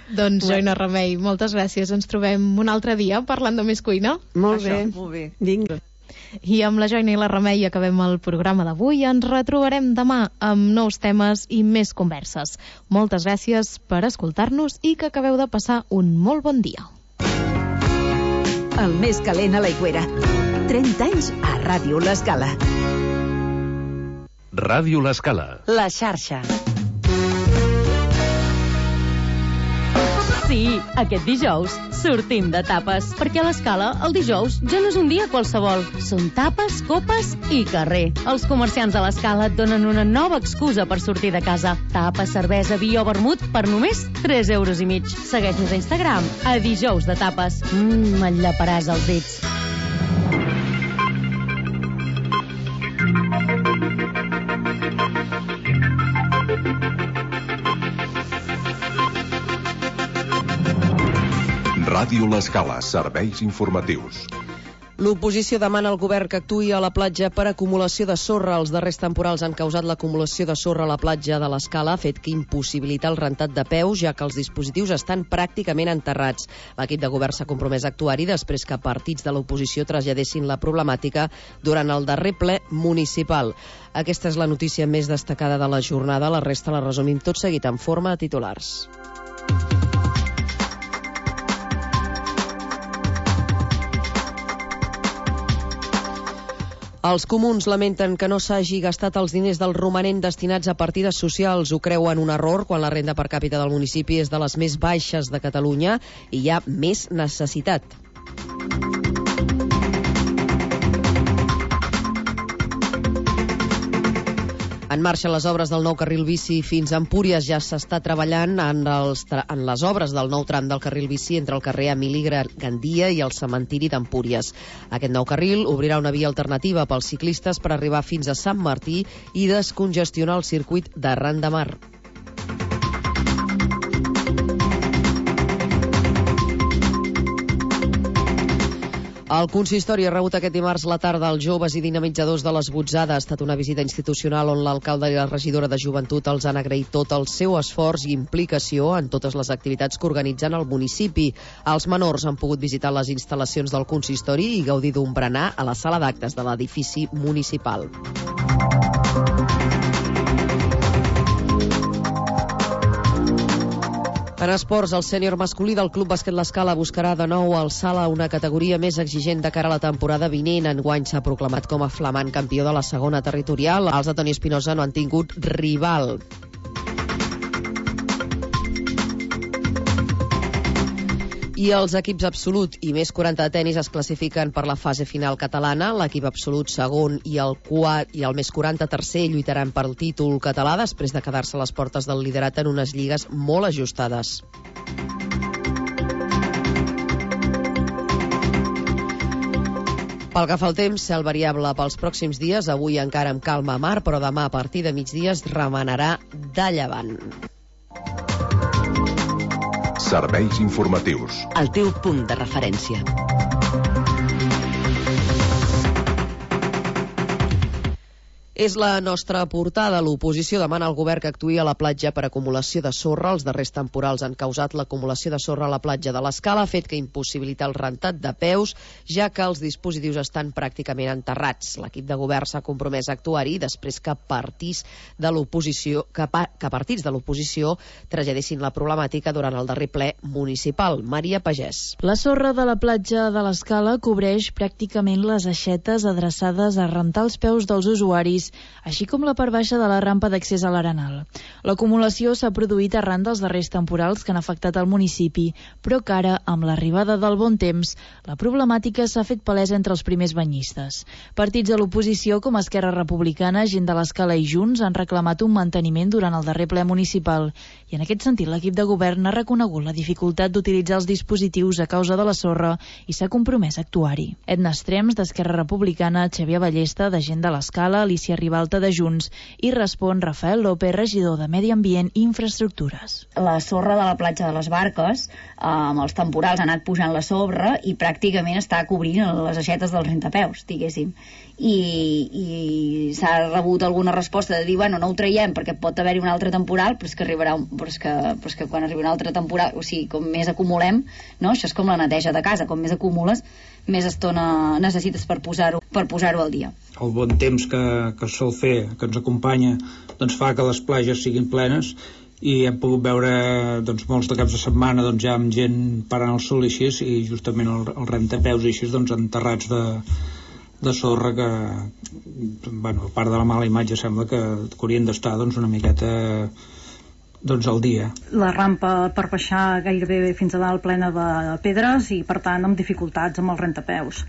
Doncs, Joina Remei, moltes gràcies. Ens trobem un altre dia parlant de més cuina. Molt bé. Vinga. I amb la Joina i la Remei acabem el programa d'avui. Ens retrobarem demà amb nous temes i més converses. Moltes gràcies per escoltar-nos i que acabeu de passar un molt bon dia. El més calent a l'Aigüera. 30 anys a Ràdio L'Escala. Ràdio L'Escala. La xarxa. Sí, aquest dijous sortim de tapes, perquè a l'Escala el dijous ja no és un dia qualsevol. Són tapes, copes i carrer. Els comerciants de l'Escala et donen una nova excusa per sortir de casa. Tapes, cervesa, vi o vermut per només 3,5 €. Segueix-nos a Instagram, a Dijous de Tapes. M'enllaparàs els dits. Ràdio L'Escala, serveis informatius. L'oposició demana al govern que actuï a la platja per acumulació de sorra. Els darrers temporals han causat l'acumulació de sorra a la platja de l'Escala, fet que impossibilita el rentat de peus, ja que els dispositius estan pràcticament enterrats. L'equip de govern s'ha compromès a actuar-hi després que partits de l'oposició traslladessin la problemàtica durant el darrer ple municipal. Aquesta és la notícia més destacada de la jornada. La resta la resumim tot seguit en forma de titulars. Els comuns lamenten que no s'hagi gastat els diners del romanent destinats a partides socials. Ho creuen un error quan la renda per càpita del municipi és de les més baixes de Catalunya i hi ha més necessitat. En marxa les obres del nou carril bici fins a Empúries. Ja s'està treballant en les obres del nou tram del carril bici entre el carrer Emili Gandia i el cementiri d'Empúries. Aquest nou carril obrirà una via alternativa pels ciclistes per arribar fins a Sant Martí i descongestionar el circuit d'Arran de Mar. El consistori ha rebut aquest dimarts a la tarda els joves i dinamitzadors de les Botzada. Ha estat una visita institucional on l'alcalde i la regidora de Joventut els han agraït tot el seu esforç i implicació en totes les activitats que organitzen al municipi. Els menors han pogut visitar les instal·lacions del consistori i gaudir d'un berenar a la sala d'actes de l'edifici municipal. En esports, el sènior masculí del Club Bàsquet L'Escala buscarà de nou alçar a una categoria més exigent de cara a la temporada vinent. Enguany s'ha proclamat com a flamant campió de la segona territorial. Els de Toni Espinosa no han tingut rival. I els equips absolut i més 40 de tenis es classifiquen per la fase final catalana. L'equip absolut segon i el més 40 tercer lluitaran pel títol català després de quedar-se a les portes del liderat en unes lligues molt ajustades. Pel que fa al temps, cel variable pels pròxims dies. Avui encara amb calma a mar, però demà a partir de migdia es remenarà de llevant. Serveis informatius. El teu punt de referència. És la nostra portada. L'oposició demana al govern que actuï a la platja per acumulació de sorra. Els darrers temporals han causat l'acumulació de sorra a la platja de l'Escala, fet que impossibilita el rentat de peus, ja que els dispositius estan pràcticament enterrats. L'equip de govern s'ha compromès a actuar-hi després que partits de l'oposició traslladessin la problemàtica durant el darrer ple municipal. Maria Pagès. La sorra de la platja de l'Escala cobreix pràcticament les aixetes adreçades a rentar els peus dels usuaris, així com la part baixa de la rampa d'accés a l'Arenal. L'acumulació s'ha produït arran dels darrers temporals que han afectat el municipi, però que ara, amb l'arribada del bon temps, la problemàtica s'ha fet palesa entre els primers banyistes. Partits de l'oposició com Esquerra Republicana, Gent de l'Escala i Junts han reclamat un manteniment durant el darrer ple municipal i en aquest sentit l'equip de govern ha reconegut la dificultat d'utilitzar els dispositius a causa de la sorra i s'ha compromès a actuar-hi. Edna Estrems, d'Esquerra Republicana, Xavier Ballesta, de Gent de l'Escala, Alicia Alicia Ribalta de Junts. I respon Rafael López, regidor de Medi Ambient i Infraestructures. La sorra de la platja de les Barques, amb els temporals ha anat pujant la sorra i pràcticament està cobrint les aixetes dels rentapeus, diguéssim. I s'ha rebut alguna resposta de dir, bueno, no ho traiem perquè pot haver-hi un altre temporal, però és que arribarà però és que quan arribi un altre temporal, o sigui, com més acumulem, no? Això és com la neteja de casa, com més acumules, més estona necessites per posar-ho al dia. El bon temps que sol fer, que ens acompanya, doncs fa que les platges siguin plenes, i hem pogut veure molts de caps de setmana ja amb gent parant el sol i així, i justament el rentapeus i així enterrats de sorra que, bueno, a part de la mala imatge, sembla que haurien d'estar una miqueta al dia. La rampa per baixar gairebé fins a dalt plena de pedres i, per tant, amb dificultats amb els rentapeus.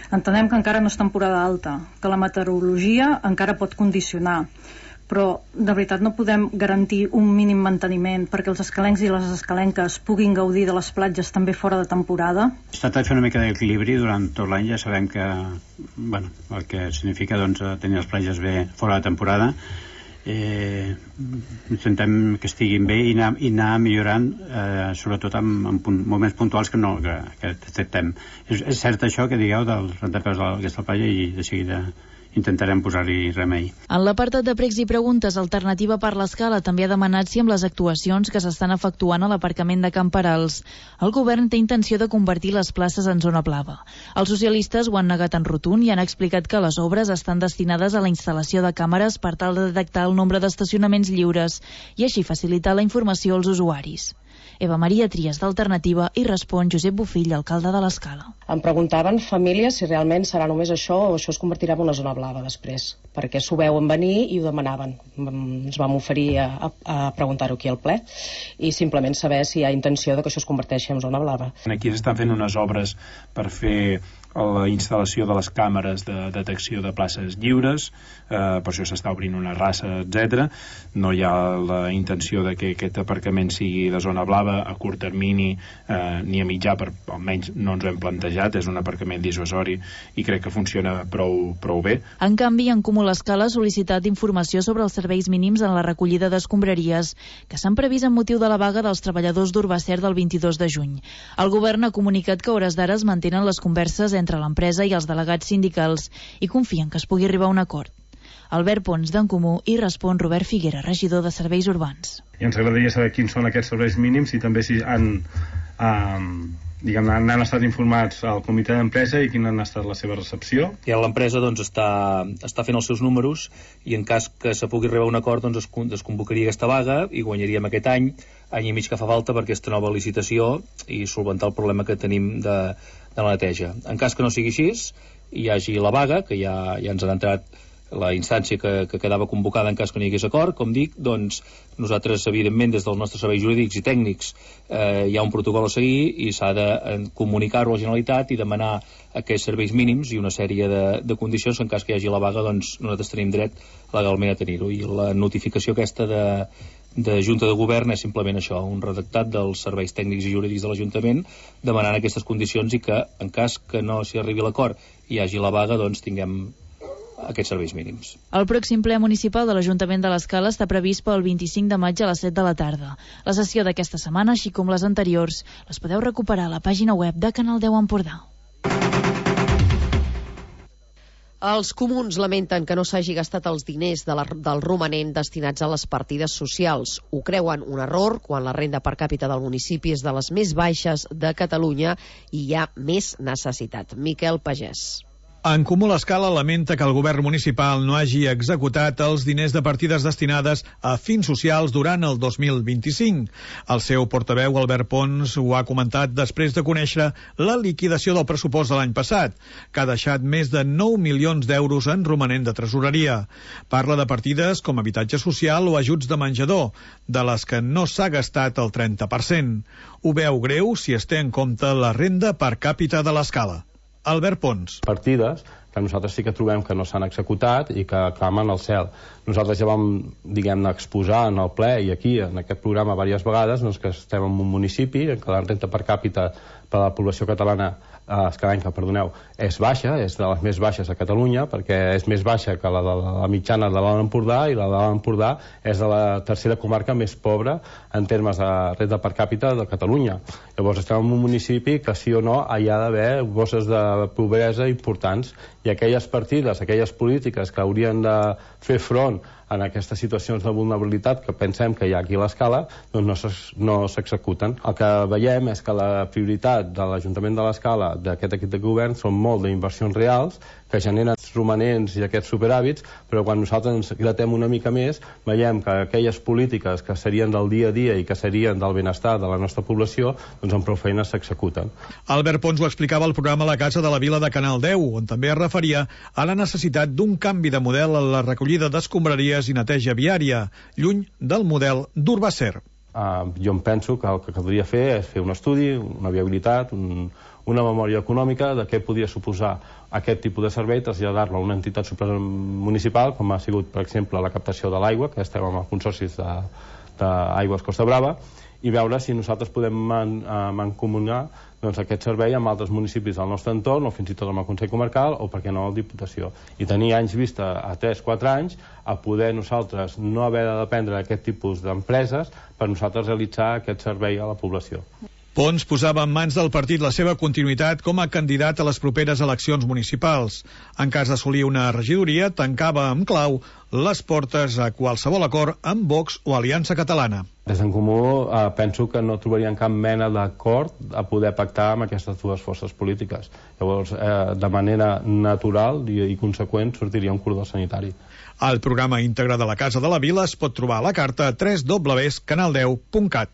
Entenem que encara no és temporada alta, que la meteorologia encara pot condicionar, però de veritat no podem garantir un mínim manteniment perquè els escalencs i les escalenques puguin gaudir de les platges també fora de temporada. Es tracta de fer una mica d'equilibri durant tot l'any. Ja sabem que, bueno, el que significa tenir les platges bé fora de temporada. Intentem que estiguin bé i anar millorant, sobretot en moments puntuals que tractem. És cert això que digueu dels rentapeus d'aquesta platja i de seguida intentarem posar-hi remei. En l'apartat de pregs i preguntes, Alternativa per l'Escala també ha demanat si amb les actuacions que s'estan efectuant a l'aparcament de Can Perals el govern té intenció de convertir les places en zona blava. Els socialistes ho han negat en rotund i han explicat que les obres estan destinades a la instal·lació de càmeres per tal de detectar el nombre d'estacionaments lliures i així facilitar la informació als usuaris. Eva Maria Trias, d'Alternativa, i respon Josep Bofill, alcalde de l'Escala. Em preguntaven famílies si realment serà només això o això es convertirà en una zona blava després, perquè s'ho veuen venir i ho demanaven. Ens vam oferir a preguntar-ho aquí al ple i simplement saber si hi ha intenció de que això es converteixi en zona blava. Aquí s'estan fent unes obres per fer la instal·lació de les càmeres de detecció de places lliures, per això s'està obrint una rassa, etc. No hi ha la intenció de que aquest aparcament sigui de zona blava a curt termini ni a mitjà, almenys no ens ho hem plantejat. És un aparcament dissuasori i crec que funciona prou bé. En canvi, en Comú l'Escala ha sol·licitat informació sobre els serveis mínims en la recollida d'escombraries que s'han previst en motiu de la vaga dels treballadors d'Urbacer del 22 de juny. El govern ha comunicat que a hores d'ara es mantenen les converses entre l'empresa i els delegats sindicals i confien que es pugui arribar a un acord. Albert Pons, d'en Comú, i respon Robert Figuera, regidor de Serveis Urbans. I ens agradaria saber quins són aquests serveis mínims i també si han estat informats al comitè d'empresa i quina ha estat la seva recepció. I l'empresa està fent els seus números i en cas que se pugui arribar a un acord es convocaria aquesta vaga i guanyaríem aquest any i mig que fa falta per aquesta nova licitació i solventar el problema que tenim de la neteja. En cas que no sigui així, hi hagi la vaga, que ja ens han entrat la instància que quedava convocada en cas que no hi hagués acord, com dic, doncs nosaltres, evidentment, des dels nostres serveis jurídics i tècnics hi ha un protocol a seguir i s'ha de comunicar-ho a la Generalitat i demanar aquests serveis mínims i una sèrie de condicions que en cas que hi hagi la vaga, doncs nosaltres tenim dret legalment a tenir-ho. I la notificació aquesta de Junta de Govern és simplement això, un redactat dels serveis tècnics i jurídics de l'Ajuntament demanant aquestes condicions i que en cas que no s'hi arribi a l'acord i hi hagi la vaga, doncs tinguem aquests serveis mínims. El pròxim ple municipal de l'Ajuntament de l'Escala està previst pel 25 de maig a les 7 de la tarda. La sessió d'aquesta setmana, així com les anteriors, les podeu recuperar a la pàgina web de Canal 10 Empordà. Els comuns lamenten que no s'hagi gastat els diners del romanent destinats a les partides socials. Ho creuen un error quan la renda per càpita del municipi és de les més baixes de Catalunya i hi ha més necessitat. Miquel Pagès. En Comú l'Escala lamenta que el govern municipal no hagi executat els diners de partides destinades a fins socials durant el 2025. El seu portaveu, Albert Pons, ho ha comentat després de conèixer la liquidació del pressupost de l'any passat, que ha deixat més de 9 milions d'euros en romanent de tresoreria. Parla de partides com habitatge social o ajuts de menjador, de les que no s'ha gastat el 30%. Ho veu greu si es té en compte la renda per càpita de l'Escala. Albert Pons. Partides que nosaltres sí que trobem que no s'han executat i que clamen al cel. Nosaltres ja vam, diguem-ne, exposar en el ple i aquí, en aquest programa, diverses vegades, doncs, que estem en un municipi en què la renda per càpita per a la població catalana Escalenca, perdoneu, és baixa, és de les més baixes a Catalunya, perquè és més baixa que la de la mitjana de l'Alt Empordà, i la de l'Alt Empordà és de la tercera comarca més pobra en termes de renda per càpita de Catalunya. Llavors estem en un municipi que sí o no hi ha d'haver bosses de pobresa importants, i aquelles partides, aquelles polítiques que haurien de fer front en aquestes situacions de vulnerabilitat que pensem que hi ha aquí a l'Escala, doncs no s'executen. El que veiem és que la prioritat de l'Ajuntament de l'Escala, d'aquest equip de govern, són molt d'inversions reals, que generen romanents i aquests superhàbits, però quan nosaltres ens gratem una mica més, veiem que aquelles polítiques que serien del dia a dia i que serien del benestar de la nostra població, doncs amb prou feines s'executen. Albert Pons ho explicava al programa La Casa de la Vila de Canal 10, on també es referia a la necessitat d'un canvi de model en la recollida d'escombraries i neteja viària, lluny del model d'Urbacer. Jo em penso que el que caldria fer és fer un estudi, una viabilitat, una memòria econòmica de què podria suposar aquest tipus de servei, traslladar-lo a una entitat supramunicipal, com ha sigut, per exemple, la captació de l'aigua, que estem amb els consorcis d'Aigües Costa Brava, i veure si nosaltres podem mancomunar aquest servei amb altres municipis del nostre entorn, o fins i tot amb el Consell Comarcal, o per què no, la Diputació. I tenir anys vista a 3-4 anys a poder nosaltres no haver de dependre d'aquest tipus d'empreses per nosaltres realitzar aquest servei a la població. Pons posava en mans del partit la seva continuïtat com a candidat a les properes eleccions municipals. En cas d'assolir una regidoria, tancava amb clau les portes a qualsevol acord amb Vox o Aliança Catalana. Des d'en Comú penso que no trobarien cap mena d'acord a poder pactar amb aquestes dues forces polítiques. Llavors, de manera natural i conseqüent, sortiria un cordó sanitari. El programa íntegre de la Casa de la Vila es pot trobar a la carta www.canal10.cat.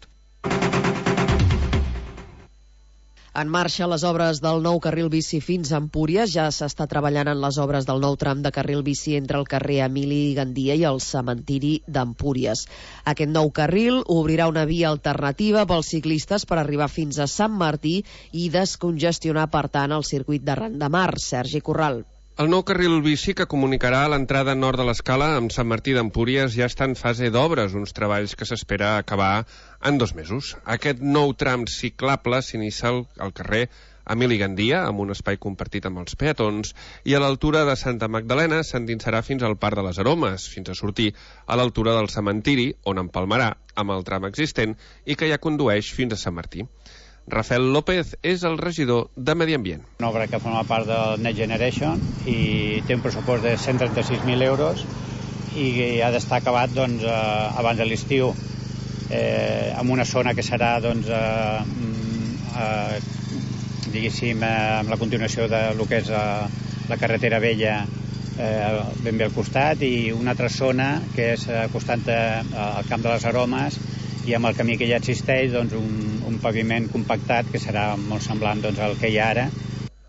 En marxa les obres del nou carril bici fins a Empúries. Ja s'està treballant en les obres del nou tram de carril bici entre el carrer Emili Gandia i el cementiri d'Empúries. Aquest nou carril obrirà una via alternativa pels ciclistes per arribar fins a Sant Martí i descongestionar, per tant, el circuit de Ran de Mar. Sergi Corral. El nou carril bici que comunicarà l'entrada nord de l'Escala amb Sant Martí d'Empúries ja està en fase d'obres, uns treballs que s'espera acabar en 2 mesos. Aquest nou tram ciclable s'inicia al carrer Emili Gandia, amb un espai compartit amb els peatons, i a l'altura de Santa Magdalena s'endinsarà fins al Parc de les Aromes, fins a sortir a l'altura del cementiri, on empalmarà amb el tram existent i que ja condueix fins a Sant Martí. Rafael López és el regidor de Medi Ambient. Una obra que forma part del Next Generation i té un pressupost de 136.000 euros i ha d'estar acabat abans de l'estiu, en una zona que serà diguéssim amb la continuació del que és la carretera vella ben bé al costat, i una altra zona que és acostant al Camp de les Aromes, i amb el camí que ja existeix un paviment compactat que serà molt semblant al que hi ha ara.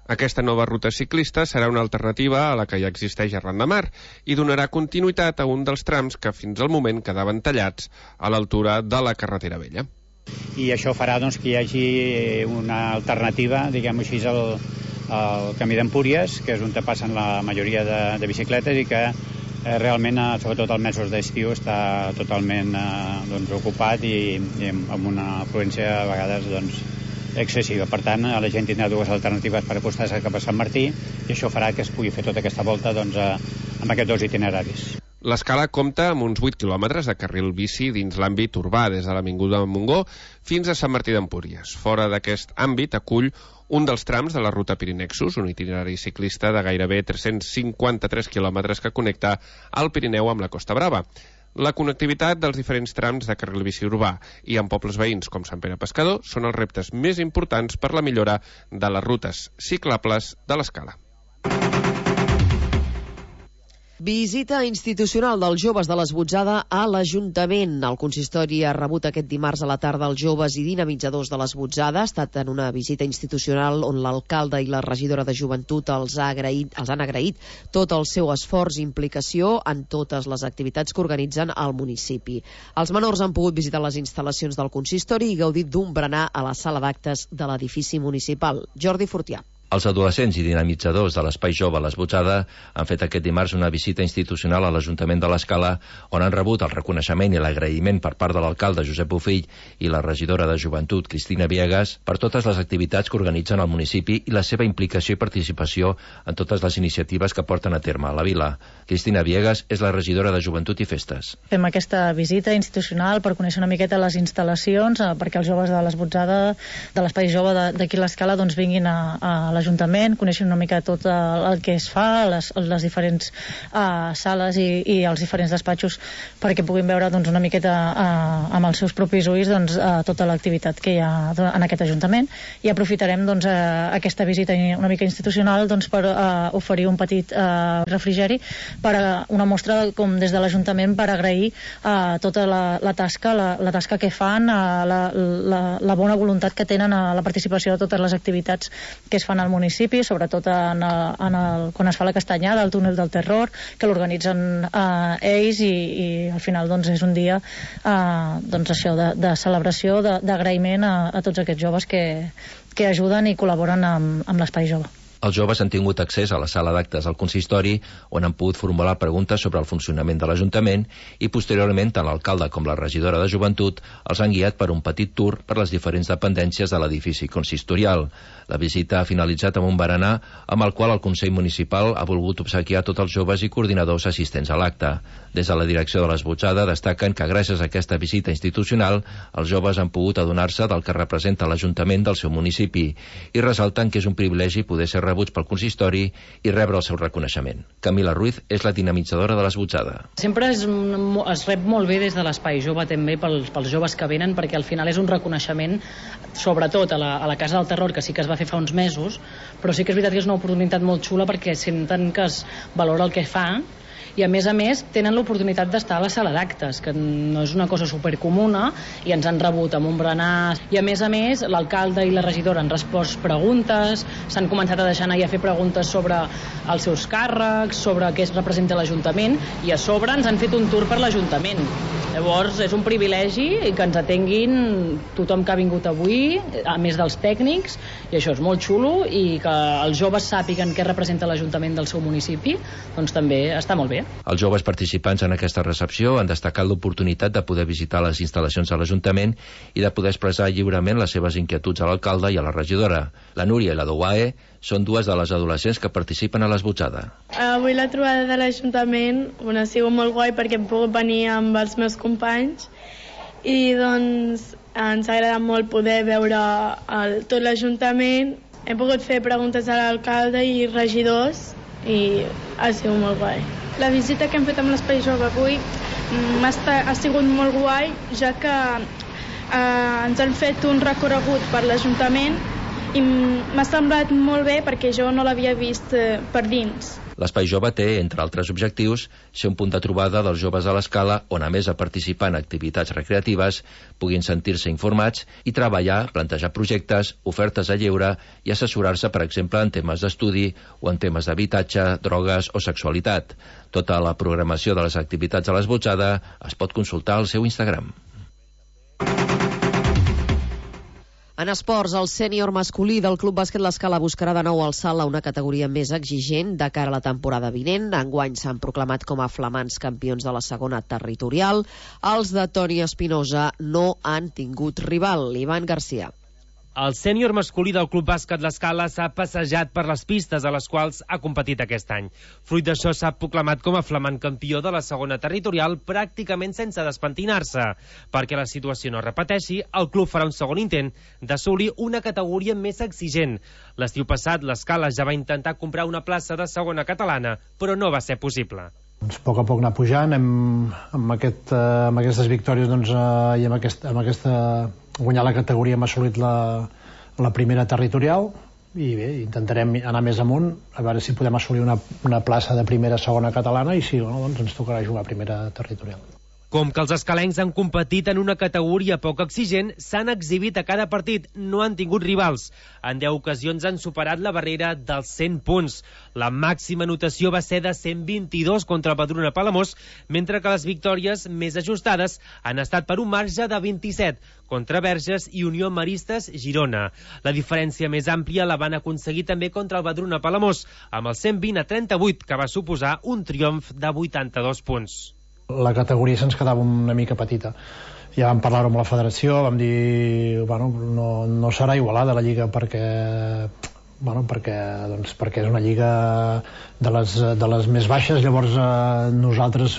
Aquesta nova ruta ciclista serà una alternativa a la que ja existeix a Ran de Mar i donarà continuïtat a un dels trams que fins al moment quedaven tallats a l'altura de la carretera vella. I això farà que hi hagi una alternativa, diguem-ho així, al camí d'Empúries, que és on passen la majoria de bicicletes i que realment, sobretot als mesos d'estiu, està totalment ocupat i amb una afluència a vegades excessiva. Per tant, la gent tindrà 2 alternatives per acostar-se cap a Sant Martí, i això farà que es pugui fer tota aquesta volta amb aquests 2 itineraris. L'Escala compta amb uns 8 quilòmetres de carril bici dins l'àmbit urbà, des de l'Avinguda de Montgó fins a Sant Martí d'Empúries. Fora d'aquest àmbit acull un dels trams de la ruta Pirinexus, un itinerari ciclista de gairebé 353 quilòmetres que connecta el Pirineu amb la Costa Brava. La connectivitat dels diferents trams de carril bici urbà i amb pobles veïns com Sant Pere Pescador són els reptes més importants per la millora de les rutes ciclables de l'Escala. Visita institucional dels joves de l'Esbotzada a l'Ajuntament. El consistori ha rebut aquest dimarts a la tarda els joves i dinamitzadors de l'Esbotzada. Ha estat en una visita institucional on l'alcalde i la regidora de Joventut els han agraït tot el seu esforç i implicació en totes les activitats que organitzen al municipi. Els menors han pogut visitar les instal·lacions del consistori i gaudir d'un berenar a la sala d'actes de l'edifici municipal. Jordi Fortià. Els adolescents i dinamitzadors de l'Espai Jove L'Esbotzada han fet aquest dimarts una visita institucional a l'Ajuntament de l'Escala, on han rebut el reconeixement i l'agraïment per part de l'alcalde Josep Bofill i la regidora de Joventut Cristina Viegas per totes les activitats que organitzen al municipi i la seva implicació i participació en totes les iniciatives que porten a terme a la vila. Cristina Viegas és la regidora de Joventut i Festes. Fem aquesta visita institucional per conèixer una miqueta les instal·lacions, perquè els joves de l'Esbotzada, de l'Espai Jove d'aquí a l'Escala, doncs vinguin a l'Ajuntament, coneixen una mica tot el que es fa, les diferents sales i els diferents despatxos, perquè puguin veure doncs, una miqueta amb els seus propis ulls doncs, tota l'activitat que hi ha en aquest Ajuntament, i aprofitarem doncs, aquesta visita una mica institucional doncs, per oferir un petit refrigeri per una mostra com des de l'Ajuntament per agrair tota la tasca que fan, la bona voluntat que tenen a la participació de totes les activitats que es fan al municipi, sobretot quan es fa la castanyada, el túnel del terror, que l'organitzen ells i al final doncs, és un dia doncs, això, de celebració, d'agraïment a tots aquests joves que ajuden i col·laboren amb l'Espai Jove. Els joves han tingut accés a la sala d'actes del consistori, on han pogut formular preguntes sobre el funcionament de l'Ajuntament, i posteriorment tant l'alcalde com la regidora de Joventut els han guiat per un petit tour per les diferents dependències de l'edifici consistorial. La visita ha finalitzat amb un berenar amb el qual el Consell Municipal ha volgut obsequiar tots els joves i coordinadors assistents a l'acte. Des de la direcció de l'Esbotzada destaquen que gràcies a aquesta visita institucional els joves han pogut adonar-se del que representa l'Ajuntament del seu municipi i ressalten que és un privilegi poder ser rebuts pel consistori i rebre el seu reconeixement. Camila Ruiz és la dinamitzadora de l'Esbotzada. Sempre es rep molt bé des de l'Espai Jove també pels joves que venen, perquè al final és un reconeixement sobretot a la Casa del Terror, que sí que es va fer fa uns mesos, però sí que és veritat que és una oportunitat molt xula perquè senten que es valora el que fa i a més tenen l'oportunitat d'estar a la sala d'actes, que no és una cosa supercomuna, i ens han rebut amb un berenar, i a més l'alcalde i la regidora han respost preguntes, s'han començat a deixar anar i a fer preguntes sobre els seus càrrecs, sobre què es representa l'Ajuntament, i a sobre ens han fet un tour per l'Ajuntament. Llavors és un privilegi que ens atenguin tothom que ha vingut avui, a més dels tècnics, i això és molt xulo, i que els joves sàpiguen què representa l'Ajuntament del seu municipi, doncs també està molt bé. Els joves participants en aquesta recepció han destacat l'oportunitat de poder visitar les instal·lacions de l'Ajuntament i de poder expressar lliurement les seves inquietuds a l'alcalde i a la regidora. La Núria i la Douae són dues de les adolescents que participen a l'Esbotzada. Avui la trobada de l'Ajuntament ha sigut molt guai perquè hem pogut venir amb els meus companys i doncs ens ha agradat molt poder veure tot l'Ajuntament. Hem pogut fer preguntes a l'alcalde i regidors i ha sigut molt guai. La visita que hem fet amb l'Espai Jove avui ha sigut molt guai, ja que ens han fet un recorregut per l'Ajuntament i m'ha semblat molt bé perquè jo no l'havia vist per dins. L'Espai Jove té, entre altres objectius, ser un punt de trobada dels joves a l'Escala on, a més de participar en activitats recreatives, puguin sentir-se informats i treballar, plantejar projectes, ofertes a lleure i assessorar-se, per exemple, en temes d'estudi o en temes d'habitatge, drogues o sexualitat. Tota la programació de les activitats a l'Esbotzada es pot consultar al seu Instagram. En esports, el sènior masculí del Club Bàsquet L'Escala buscarà de nou alçar-la a una categoria més exigent de cara a la temporada vinent. Enguany s'han proclamat com a flamants campions de la segona territorial. Els de Toni Espinosa no han tingut rival. Ivan Garcia. El sènior masculí del Club Bàsquet L'Escala s'ha passejat per les pistes a les quals ha competit aquest any. Fruit d'això s'ha proclamat com a flamant campió de la segona territorial pràcticament sense despentinar-se. Perquè la situació no repeteixi, el club farà un segon intent d'assolir una categoria més exigent. L'estiu passat l'Escala ja va intentar comprar una plaça de segona catalana, però no va ser possible. A poc anar pujant, amb aquestes victòries i amb aquesta guanyar la categoria hem assolit la primera territorial i bé, intentarem anar més amunt a veure si podem assolir una plaça de primera segona catalana i si no, doncs ens tocarà jugar a primera territorial. Com que els escalencs han competit en una categoria poc exigent, s'han exhibit a cada partit, no han tingut rivals. En 10 ocasions han superat la barrera dels 100 punts. La màxima notació va ser de 122 contra el Badruna Palamós, mentre que les victòries més ajustades han estat per un marge de 27 contra Verges i Unió Maristes Girona. La diferència més àmplia la van aconseguir també contra el Badruna Palamós, amb el 120-38, que va suposar un triomf de 82 punts. La categoria se'ns quedava una mica petita. Ja vam parlar amb la federació, vam dir, bueno, no serà igualada la lliga perquè és una lliga de les més baixes, llavors nosaltres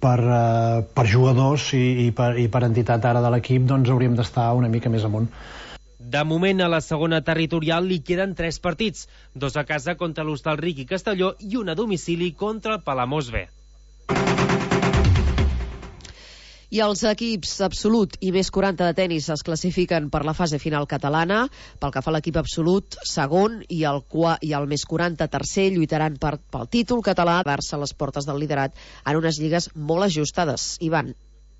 per jugadors i per entitat ara de l'equip doncs hauríem d'estar una mica més amunt. De moment, a la segona territorial li queden 3 partits, 2 a casa contra l'Hostalric i Castelló i 1 a domicili contra el Palamós B. I els equips absolut i més 40 de tenis es classifiquen per la fase final catalana. Pel que fa a l'equip absolut, segon, i el més 40 tercer lluitaran pel títol català, a les portes del liderat en unes lligues molt ajustades. Ivan.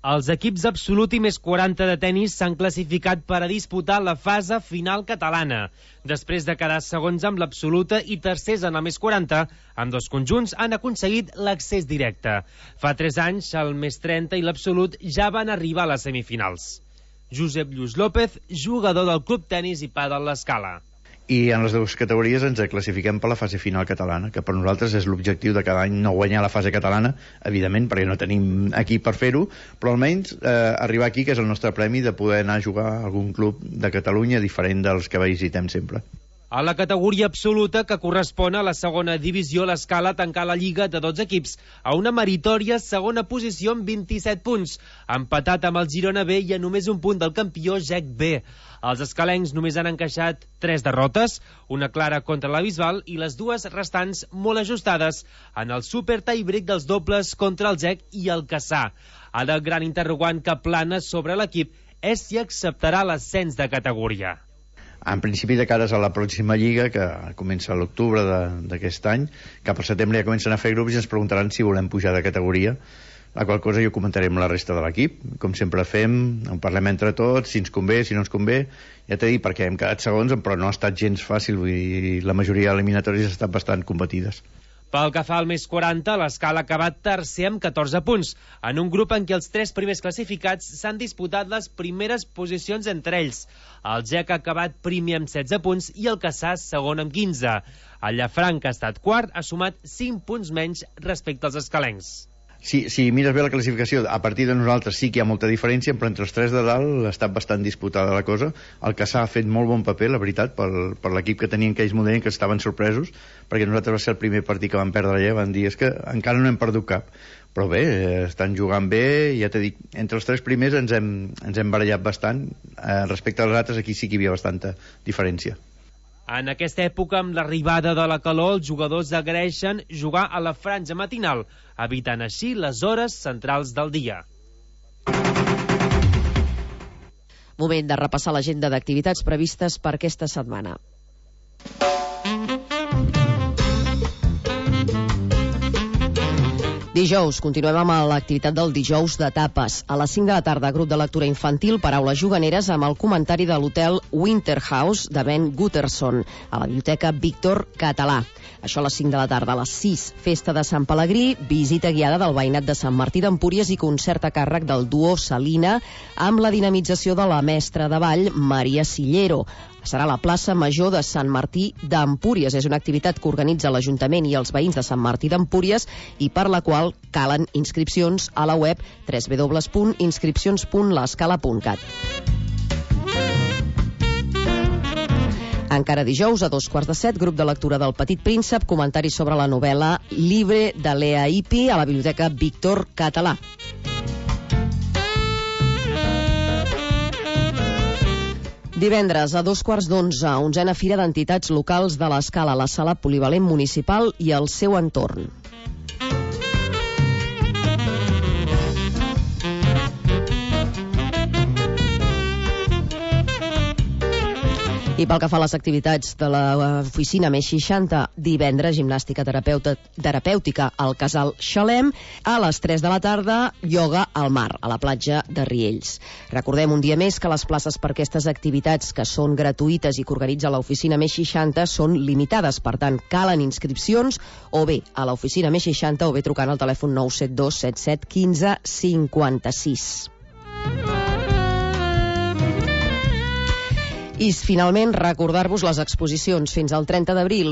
Els equips absolut i més 40 de tenis s'han classificat per a disputar la fase final catalana. Després de quedar segons amb l'absoluta i tercers en el més 40, amb 2 conjunts han aconseguit l'accés directe. Fa 3 anys, el més 30 i l'absolut ja van arribar a les semifinals. Josep Lluís López, jugador del Club Tenis i Pàdel L'Escala. I en les dues categories ens classifiquem per la fase final catalana, que per nosaltres és l'objectiu de cada any, no guanyar la fase catalana, evidentment, perquè no tenim equip per fer-ho, però almenys arribar aquí, que és el nostre premi de poder anar a jugar a algun club de Catalunya diferent dels que visitem sempre. A la categoria absoluta, que correspon a la segona divisió, l'Escala tancar la lliga de 12 equips a una meritòria segona posició amb 27 punts, empatat amb el Girona B i a només un punt del campió GEC B. Els escalencs només han encaixat 3 derrotes, una clara contra la Bisbal i les 2 restants molt ajustades en el super tie-break dels dobles contra el GEC i el Cassà. Ara el gran interrogant que plana sobre l'equip és si acceptarà l'ascens de categoria. En principi, de cares a la pròxima lliga, que comença a l'octubre d'aquest any, cap al setembre ja comencen a fer grups i ens preguntaran si volem pujar de categoria, la qual cosa jo comentaré amb la resta de l'equip. Com sempre fem, en parlem entre tots, si ens convé, si no ens convé. Ja t'he dit, perquè hem quedat segons, però no ha estat gens fàcil, vull dir, la majoria eliminatòries han estat bastant competides. Pel que fa al més 40, l'Escala ha acabat tercer amb 14 punts, en un grup en què els 3 primers classificats s'han disputat les primeres posicions entre ells. El GEC ha acabat primer amb 16 punts i el Cassà segon amb 15. El Llafranc, que ha estat quart, ha sumat 5 punts menys respecte als escalencs. Si mires bé la classificació, a partir de nosaltres sí que hi ha molta diferència, però entre els 3 de dalt ha estat bastant disputada la cosa. El Cassà ha fet molt bon paper, la veritat, per l'equip que tenien, que ells m'ho deien, que estaven sorpresos, perquè nosaltres va ser el primer partit que van perdre allà, van dir, és que encara no hem perdut cap. Però bé, estan jugant bé, ja t'he dit, entre els 3 primers ens hem barallat bastant, respecte als altres aquí sí que hi havia bastanta diferència. En aquesta època, amb l'arribada de la calor, els jugadors agraeixen jugar a la franja matinal, evitant així les hores centrals del dia. Moment de repassar l'agenda d'activitats previstes per aquesta setmana. Dijous, continuem amb l'activitat del dijous de tapes. A les 5 de la tarda, grup de lectura infantil, paraules juganeres, amb el comentari de l'hotel Winterhouse de Ben Gutterson, a la biblioteca Víctor Català. Això a les 5 de la tarda. A les 6, festa de Sant Pelegrí, visita guiada del veïnat de Sant Martí d'Empúries i concert a càrrec del duo Salina, amb la dinamització de la mestra de ball Maria Sillero. Serà a la plaça Major de Sant Martí d'Empúries. És una activitat que organitza l'Ajuntament i els veïns de Sant Martí d'Empúries i per la qual calen inscripcions a la web www.inscripcions.lescala.cat. Encara dijous, a 2:15, grup de lectura del Petit Príncep, comentari sobre la novel·la Libre de Lea Ipi a la biblioteca Víctor Català. Divendres, a 2:15, 11a Fira d'Entitats Locals de l'Escala a la Sala Polivalent Municipal i el seu entorn. I pel que fa a les activitats de l'oficina més 60, divendres gimnàstica terapèutica al Casal Xalem, a les 3 de la tarda ioga al mar, a la platja de Riells. Recordem un dia més que les places per aquestes activitats que són gratuïtes i que organitza l'oficina més 60 són limitades, per tant calen inscripcions o bé a l'oficina més 60 o bé trucant al telèfon 972 77 15 56. I finalment recordar-vos les exposicions. Fins al 30 d'abril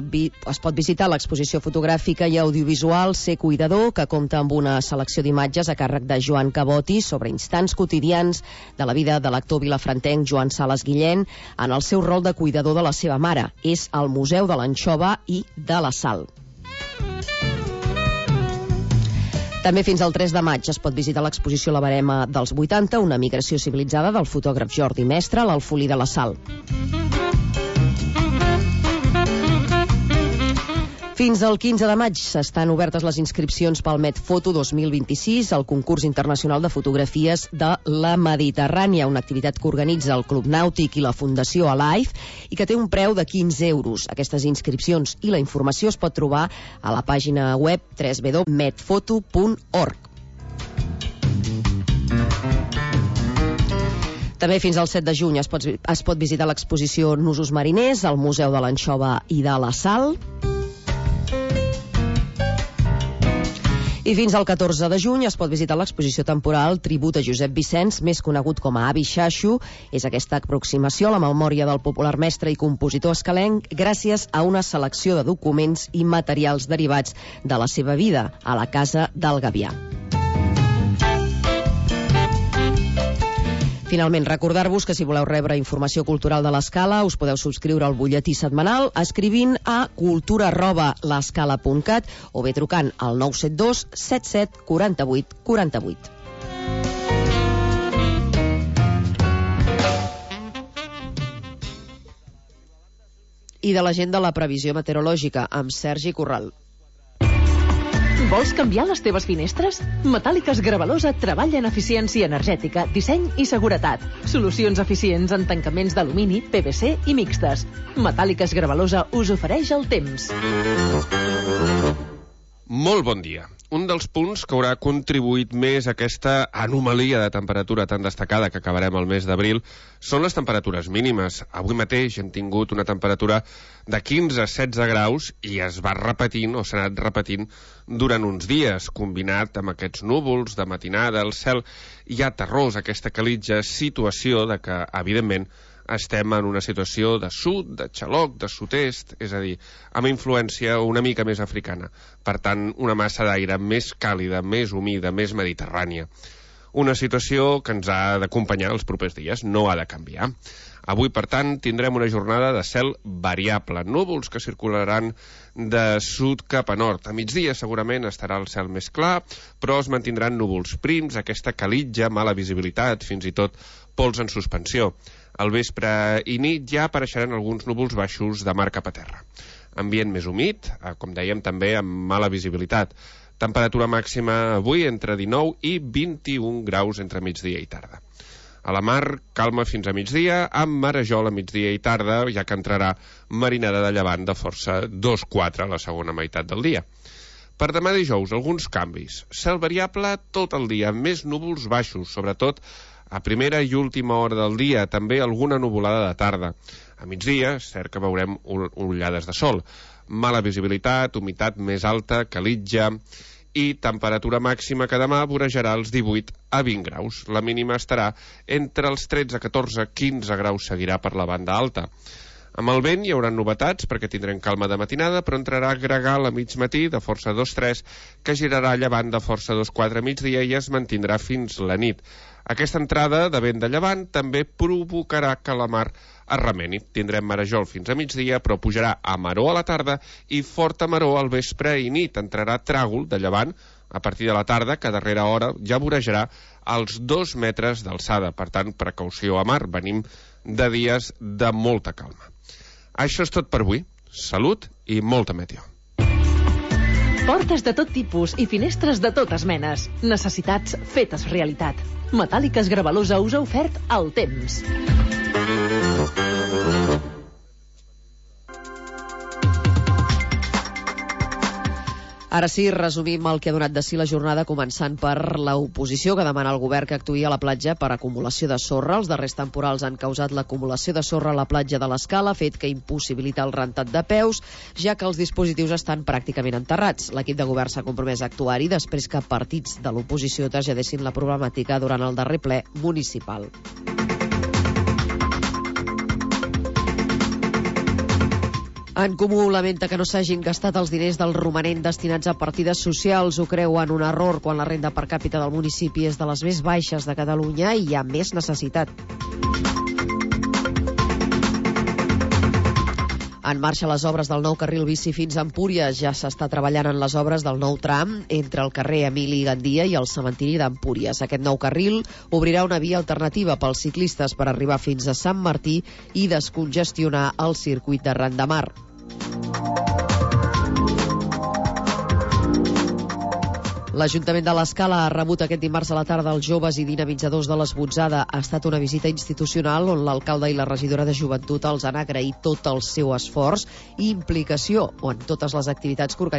es pot visitar l'exposició fotogràfica i audiovisual Ser Cuidador, que compta amb una selecció d'imatges a càrrec de Joan Caboti sobre instants quotidians de la vida de l'actor vilafrantenc Joan Sales Guillén en el seu rol de cuidador de la seva mare. És al Museu de l'Anxova i de la Sal. També fins al 3 de maig es pot visitar l'exposició La Barema dels 80, una migració civilitzada del fotògraf Jordi Mestre a l'Alfolí de la Sal. Fins al 15 de maig estan obertes les inscripcions pel Medfoto 2026, el concurs internacional de fotografies de la Mediterrània, una activitat que organitza el Club Nàutic i la Fundació Alive i que té un preu de 15 euros. Aquestes inscripcions i la informació es pot trobar a la pàgina web www.medfoto.org. També fins al 7 de juny es pot visitar l'exposició Nusos Mariners al Museu de l'Anxova i de la Sal. I fins al 14 de juny es pot visitar l'exposició temporal Tribut a Josep Vicenç, més conegut com a Avi Xaxo. És aquesta aproximació a la memòria del popular mestre i compositor escalenc gràcies a una selecció de documents i materials derivats de la seva vida a la Casa del Gavià. Finalment, recordar-vos que si voleu rebre informació cultural de l'Escala us podeu subscriure al butlletí setmanal escrivint a cultura@l'escala.cat o bé trucant al 972 77 48 48. I de la gent de la previsió meteorològica amb Sergi Corral. Vols canviar les teves finestres? Metàl·liques Gravalosa treballa en eficiència energètica, disseny i seguretat. Solucions eficients en tancaments d'alumini, PVC i mixtes. Metàl·liques Gravalosa us ofereix el temps. Molt bon dia. Un dels punts que haurà contribuït més a aquesta anomalia de temperatura tan destacada que acabarem el mes d'abril són les temperatures mínimes. Avui mateix hem tingut una temperatura de 15-16 graus i es va repetint o s'ha anat repetint durant uns dies, combinat amb aquests núvols de matinada, el cel ja terrós, aquesta calitja situació de que, evidentment, estem en una situació de sud, de xaloc, de sud-est, és a dir, amb influència una mica més africana. Per tant, una massa d'aire més càlida, més humida, més mediterrània. Una situació que ens ha d'acompanyar els propers dies, no ha de canviar. Avui, per tant, tindrem una jornada de cel variable, núvols que circularan de sud cap a nord. A migdia segurament estarà el cel més clar, però es mantindran núvols prims, aquesta calitja, mala visibilitat, fins i tot pols en suspensió. Al vespre i nit ja apareixeran alguns núvols baixos de mar cap a terra. Ambient més humit, com dèiem també amb mala visibilitat. Temperatura màxima avui entre 19 i 21 graus entre migdia i tarda. A la mar, calma fins a migdia, amb marejol a migdia i tarda, ja que entrarà marinada de llevant de força 2-4 a la segona meitat del dia. Per demà dijous, alguns canvis. Cel variable tot el dia, més núvols baixos, sobretot a primera i última hora del dia, també alguna nuvolada de tarda. A migdia, és cert que veurem ullades de sol. Mala visibilitat, humitat més alta, calitja i temperatura màxima que demà vorejarà els 18 a 20 graus. La mínima estarà entre els 13, 14, 15 graus, seguirà per la banda alta. Amb el vent hi haurà novetats perquè tindrem calma de matinada, però entrarà gregal a mig matí de força 2-3, que girarà llevant de força 2-4 a migdia i es mantindrà fins la nit. Aquesta entrada de vent de llevant també provocarà que la mar es remeni. Tindrem marejol fins a migdia, però pujarà a maró a la tarda i forta maró al vespre i nit. Entrarà tràgol de llevant a partir de la tarda, que a darrera hora ja vorejarà als 2 metres d'alçada. Per tant, precaució a mar. Venim de dies de molta calma. Això és tot per avui. Salut i molta meteo. Portes de tot tipus i finestres de totes menes. Necessitats fetes realitat. Metàl·liques Gravalosa us ha ofert el temps. Ara sí, resumim el que ha donat de si la jornada, començant per l'oposició, que demana al govern que actuï a la platja per acumulació de sorra. Els darrers temporals han causat l'acumulació de sorra a la platja de l'Escala, fet que impossibilita el rentat de peus, ja que els dispositius estan pràcticament enterrats. L'equip de govern s'ha compromès a actuar-hi després que partits de l'oposició traslladessin la problemàtica durant el darrer ple municipal. En Comú lamenta que no s'hagin gastat els diners del romanent destinats a partides socials. Ho creuen un error quan la renda per càpita del municipi és de les més baixes de Catalunya i hi ha més necessitat. En marxa les obres del nou carril bici fins a Empúries. Ja s'està treballant en les obres del nou tram entre el carrer Emili Gandia i el cementiri d'Empúries. Aquest nou carril obrirà una via alternativa pels ciclistes per arribar fins a Sant Martí i descongestionar el circuit de Ran de Mar. L'Ajuntament de l'Escala ha rebut aquest dimarts a la tarda els joves i dinamitzadors de l'Esbotzada. Ha estat una visita institucional on l'alcalde i la regidora de Joventut els han agraït tot el seu esforç i implicació en totes les activitats que organitzen